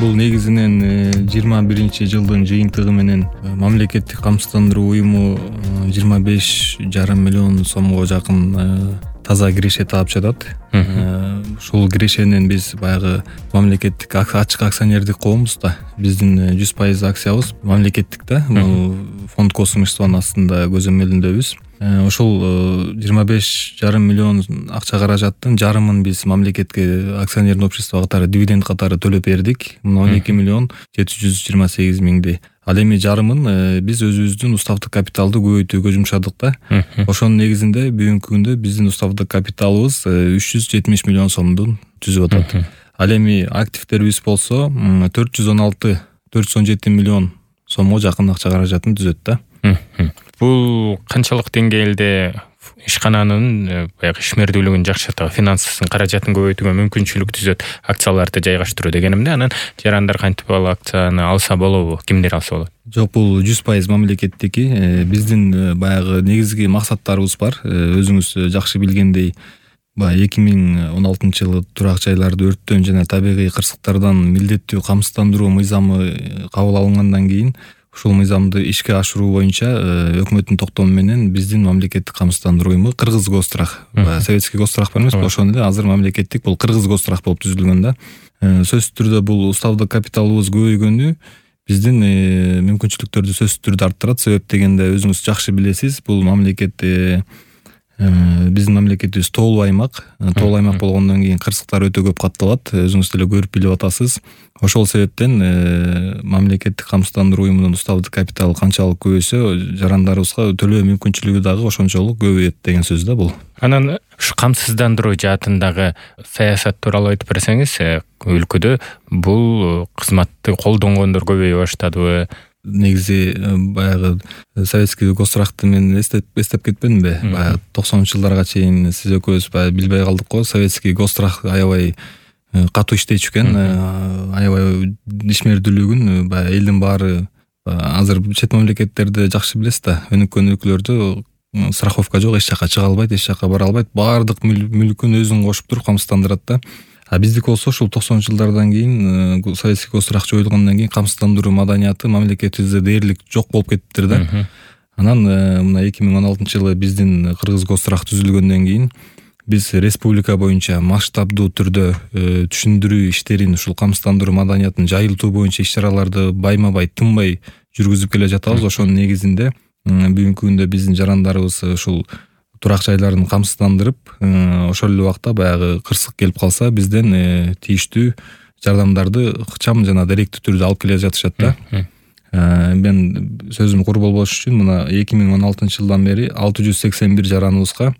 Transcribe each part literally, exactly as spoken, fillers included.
бул негизинен жыйырма биринчи жылдын жыйынтыгы менен мамлекеттик камсыздандыруу уюму жыйырма беш жарым миллион сомго жакын таза киреше таап жатат. Ушул кирешенен биз баягы мамлекеттик ачык акционердик коомбуз да. Биздин жүз пайыз акциябыз мамлекеттик да. Фонд косумчествонун астында көзөмөлүндөбүз. Ошол жыйырма беш жарым миллион акча каражаттын жарымын биз мамлекетке акционерный общество катары дивиденд катары төлөп бердик. он эки миллион жети жүз жыйырма сегиз миңди. Ал эми жарымын биз өзүбүздүн уставдык капиталды көбөйтүүгө жумшадык да. Ошонун негизинде бүгүнкү күндө биздин уставдык капиталыбыз үч жүз жетимиш миллион сомдун түзүп атат. Ал эми активдерибиз болсо төрт жүз он алты төрт жүз он жети миллион сомго жакын акча каражатын түзөт да. Бул канчалык деңгээлде ишкананын баягы ишмердүүлүгүн жакшыртып, финансын каражатын көбөйтүүгө мүмкүнчүлүк түзөт акцияларды жайгаштыруу дегенимде, анан жарандар кантип ал акцияны алса болобу, кимдер алса болот? Жок, бул жүз пайыз мамлекеттики. Биздин баягы негизги максаттарыбыз бар. Өзүңүз жакшы билгендей, баягы эки миң он алтынчы жылы турак жайларды өрттөн жана табигый кырсыктардан милдеттүү камсыздандыруу мыйзамы кабыл алынгандан кийин ушул мыйзамды ишке ашыруу боюнча өкмөттүн токтому менен биздин мамлекеттик камсыздандыруу уюму Кыргыз Гострах, советский Гострах бар эмеспи, ошону эле азыр мамлекеттик бул Кыргыз Гострах болуп түзүлгөн да. Сөзсүз түрдө бул уставдык капиталыбыз көбөйгөнү биздин мүмкүнчүлүктөрдү сөзсүз түрдө арттырат. Себеп дегенде өзүңүз жакшы билесиз, бул мамлекет биздин мамлекетибиз тоолуу аймак. Тоолуу аймак болгондон кийин кырсыктар өтө көп катталат. Өзүңүз деле көрүп билип атасыз. Ошол себептен мамлекеттик камсыздандыруу уюмунун уставдык капиталы канчалык көбөйсө, жарандарыбызга төлөө мүмкүнчүлүгү дагы ошончолук көбөйөт деген сөз да бул. Анан ушу камсыздандыруу жаатындагы саясат тууралуу айтып берсеңиз, өлкөдө бул кызматты колдонгондор көбөйө баштадыбы? Негизи баягы советский Гострахты мен эстеп эстеп кетпедимби? Баягы токсонунчу жылдарга чейин сиз экөөбүз баягы билбей калдык го. Советский Гострах аябай катуу иштечү экен. Аябай ишмердүүлүгүн баягы элдин баары азыр чет мамлекеттерде жакшы билесиз да. Өнүккөн өлкөлөрдө страховка жок, эч жака чыга албайт, эч жака бара албайт. Баардык мүлкүн өзүн кошуп туруп камсыздандырат да. А биздики болсо ушул токсонунчу жылдардан кийин советский Гострах жоюлгондон кийин камсыздандыруу маданияты мамлекетибизде дээрлик жок болуп кеттиптир да. Анан мына эки миң он алтынчы жылы биздин Кыргыз Гострах түзүлгөндөн кийин биз республика боюнча масштабдуу түрдө түшүндүрүү иштерин, ушул камсыздандыруу маданиятын жайылтуу боюнча иш-чараларды байма-бай тынбай жүргүзүп келе жатабыз. Ошонун негизинде бүгүнкү күндө биздин жарандарыбыз ушул турак жайларын камсыздандырып, ошол эле убакта баягы кырсык келип калса, бизден тийиштүү жардамдарды ыкчам жана даректүү түрдө алып келе жатышат да. Мен сөзүм кур болбош үчүн мына эки миң он алтынчы жылдан бери алты жүз сексен бир жараныбызга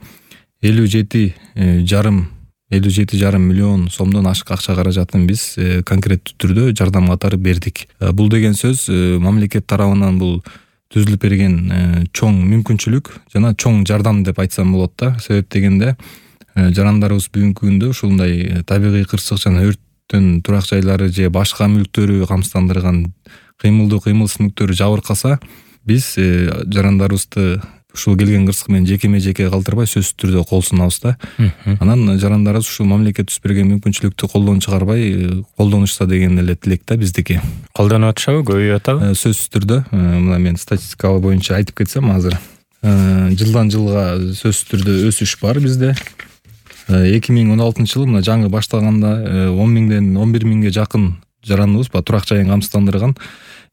элүү жети жарым миллион сомдон ашык акча каражатын биз конкреттүү түрдө жардам катары бердик. Бул деген сөз мамлекет тарабынан бул түзүлүп берген чоң мүмкүнчүлүк жана чоң жардам деп айтсам болот да. Себеп дегенде жарандарыбыз бүгүнкү күндө ушундай табигый кырсык жана өрттөн турак жайлары же башка мүлктөрү камсыздандырган кыймылдуу кыймылсыз мүлктөрү жабыркаса, биз жарандарыбызды ушул келген кырсык менен жекеме жеке калтырбай сөзсүз түрдө кол сунабыз да. Анан жарандарыбыз ушул мамлекет түзүп берген мүмкүнчүлүктү колдон чыгарбай колдонушса деген эле тилек да биздики. Колдонуп атышабы, көбөйүп атабы? Сөзсүз түрдө. Мына мен статистика боюнча айтып кетсем азыр жылдан жылга сөзсүз түрдө өсүш бар бизде. эки миң он алтынчы жылы мына жаңы баштаганда он миңден он бир миңге жакын жараныбыз ба турак жайын камсыздандырган.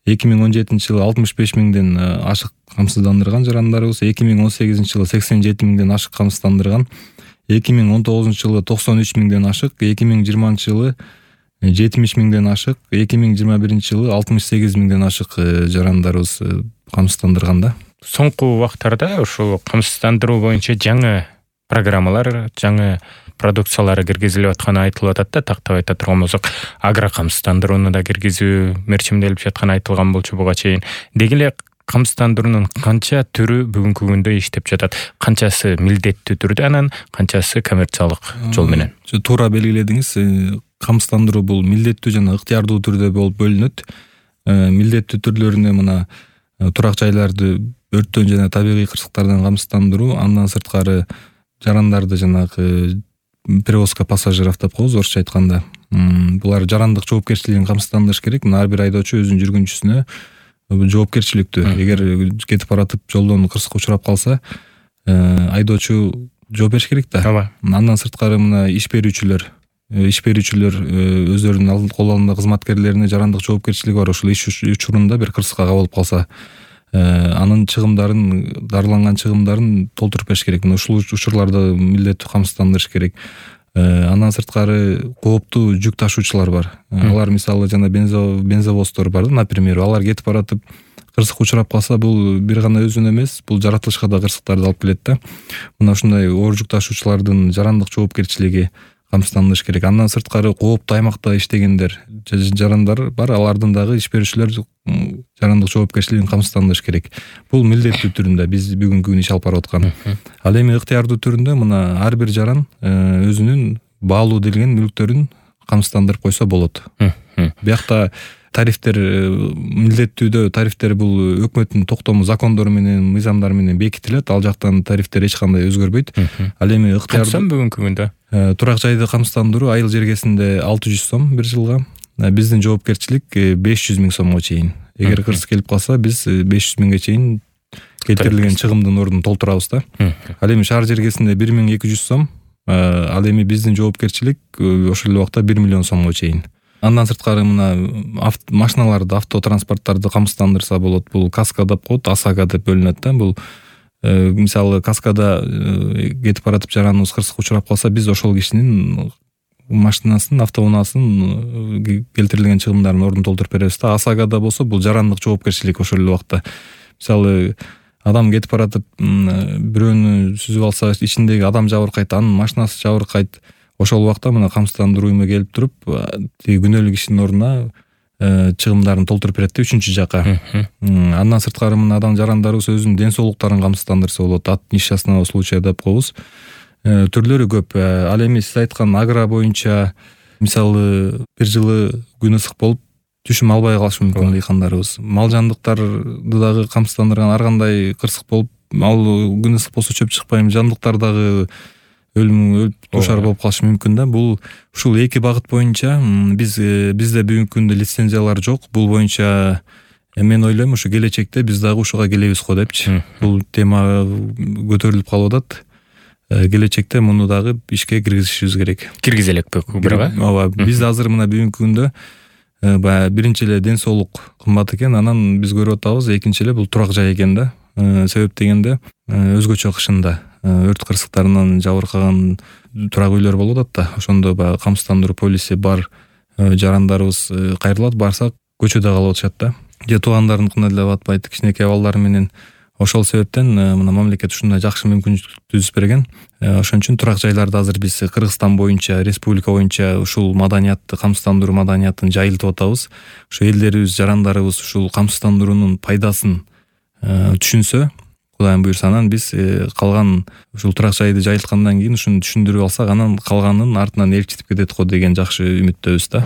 эки миң он жетинчи жылы алтымыш беш миңден ашык камсыздандырган жарандарыбыз, эки миң он сегизинчи жылы сексен жети миңден ашык камсыздандырган, эки миң он тогузунчу жылы токсон үч миңден ашык, эки миң жыйырманчы жылы жетимиш миңден ашык, эки миң жыйырма биринчи жылы алтымыш сегиз миңден ашык жарандарыбыз камсыздандырган да. Соңку убактарда ушул камсыздандыруу боюнча жаңы программалар, жаңы продукциялары киргизилип атканы айтылып атат да. Тактап айта турган болсок, агрокамсыздандырууну да киргизүү мерчимделип жатканы айтылган болчу буга чейин. Деги эле камсыздандыруунун канча түрү бүгүнкү күндө иштеп жатат? Канчасы милдеттүү түрдө, анан канчасы коммерциялык жол менен? Туура белгиледиңиз. Камсыздандыруу бул милдеттүү жана ыктыярдуу түрдө болуп бөлүнөт. Милдеттүү түрлөрүнө мына турак жайларды өрттөн жана табигый кырсыктардан камсыздандыруу, андан сырткары жарандарды жанагы перевозка пассажиров деп коебуз орусча айтканда. Булар жарандык жоопкерчилигин камсыздандырыш керек. Мына ар бир айдоочу өзүнүн жүргүнчүсүнө жоопкерчиликтүү. Эгер кетип баратып жолдон кырсыкка учурап калса, айдоочу жооп бериш керек да. Ооба. Андан сырткары мына иш берүүчүлөр иш берүүчүлөр өздөрүнүн кол алдында кызматкерлерине жарандык жоопкерчилиги бар. Ушул иш учурунда бир кырсыкка кабылып калса, анын чыгымдарын, дарыланган чыгымдарын толтуруп бериш керек. Мына ушул учурларды милдеттүү камсыздандырыш керек. Андан сырткары кооптуу жүк ташуучулар бар. Алар мисалы жана бензовоздор бар да, например, алар кетип баратып кырсыкка учурап калса, бул бир гана өзүнө эмес, бул жаратылышка да кырсыктарды алып келет да. Мына ушундай оор жүк ташуучулардын жарандык жоопкерчилиги камсыздандырыш керек. Андан сырткары кооптуу аймакта иштегендер, жарандар бар, алардын дагы иш берүүчүлөр жарандык жоопкерчилигин камсыздандырыш керек. Бул милдеттүү түрүндө биз бүгүнкү күнү иш алып барып аткан. Ал эми ыктыярдуу түрүндө мына ар бир жаран өзүнүн баалуу делген мүлктөрүн камсыздандырып койсо болот. Биякта тарифтер милдеттүүдө тарифтер бул өкмөттүн токтому, закондору менен, мыйзамдары менен бекитилет. Ал жактан тарифтер эч кандай өзгөрбөйт. Ал эми ыктыярдуу бүгүнкү күндө турак жайды камсыздандыруу айыл жергесинде алты жүз сом бир жылга, биздин жоопкерчилик беш жүз миң сомго чейин. Эгер кырсык келип калса, биз беш жүз миңге чейин келтирилген чыгымдын ордун толтурабыз да. Ал эми шаар жергесинде бир миң эки жүз сом, ал эми биздин жоопкерчилик ошол эле убакта бир миллион сомго чейин. Андан сырткары мына машиналарды, автотранспорттарды камсыздандырса болот. Бул каска деп коет, ОСАГО деп бөлүнөт да. Бул мисалы каскада кетип баратып жараныбыз кырсыкка учурап калса, биз ошол кишинин машинасын, автоунаасын келтирилген чыгымдарын ордун толтуруп беребиз да. ОСАГОда болсо бул жарандык жоопкерчилик ошол эле убакта. Мисалы адам кетип баратып бирөөнү сүзүп алса, ичиндеги адам жабыркайт, анын машинасы жабыркайт. Ошол убакта мына камсыздандыруу үйүмө келип туруп, тиги күнөөлүү кишинин ордуна чыгымдарын толтуруп берет да үчүнчү жака. Андан сырткары мына адам жарандарыбыз өзүнүн ден соолуктарын камсыздандырса болот. От несчастного случая деп коебуз. Түрлөрү көп. Ал эми сиз айткан агро боюнча мисалы бир жылы күн ысык болуп түшүм албай калышы мүмкүн дыйкандарыбыз. Мал жандыктарды дагы камсыздандырган, ар кандай кырсык болуп, ал күн ысык болсо чөп чыкпайм, жандыктар дагы өлүм өлүп душар болуп калышы мүмкүн да. Бул ушул эки багыт боюнча биз бизде бүгүнкү күндө лицензиялар жок. Бул боюнча мен ойлойм, ушу келечекте биз дагы ушуга келебиз го депчи. Бул тема көтөрүлүп калып атат. Келечекте муну дагы ишке киргизишибиз керек. Киргизе элекпи бирга? Ооба, биз азыр мына бүгүнкү күндө баягы биринчи эле ден соолук кымбат экен, анан биз көрүп атабыз, экинчи эле бул турак жай экен да. Себеп дегенде өзгөчө кышында өрт кырсыктарынан жабыркаган турак үйлөр болуп атат да. Ошондо баягы камсыздандыруу полиси бар жарандарыбыз кайрылат, барсак көчөдө калып атышат да. Же туугандарыныкына деле батпайт, кичинекей балдар менен. Ошол себептен мына мамлекет ушундай жакшы мүмкүнчүлүк түзүп берген. Ошон үчүн турак жайларды азыр биз Кыргызстан боюнча, республика боюнча ушул маданиятты, камсыздандыруу маданиятын жайылтып атабыз. Ушу элдерибиз, жарандарыбыз ушул камсыздандыруунун пайдасын түшүнсө, Кудайым буйрса, анан биз калган ушул турак жайды жайылткандан кийин ушуну түшүндүрүп алсак, анан калганын артынан элчитип кетет го деген жакшы үмүттөбүз да.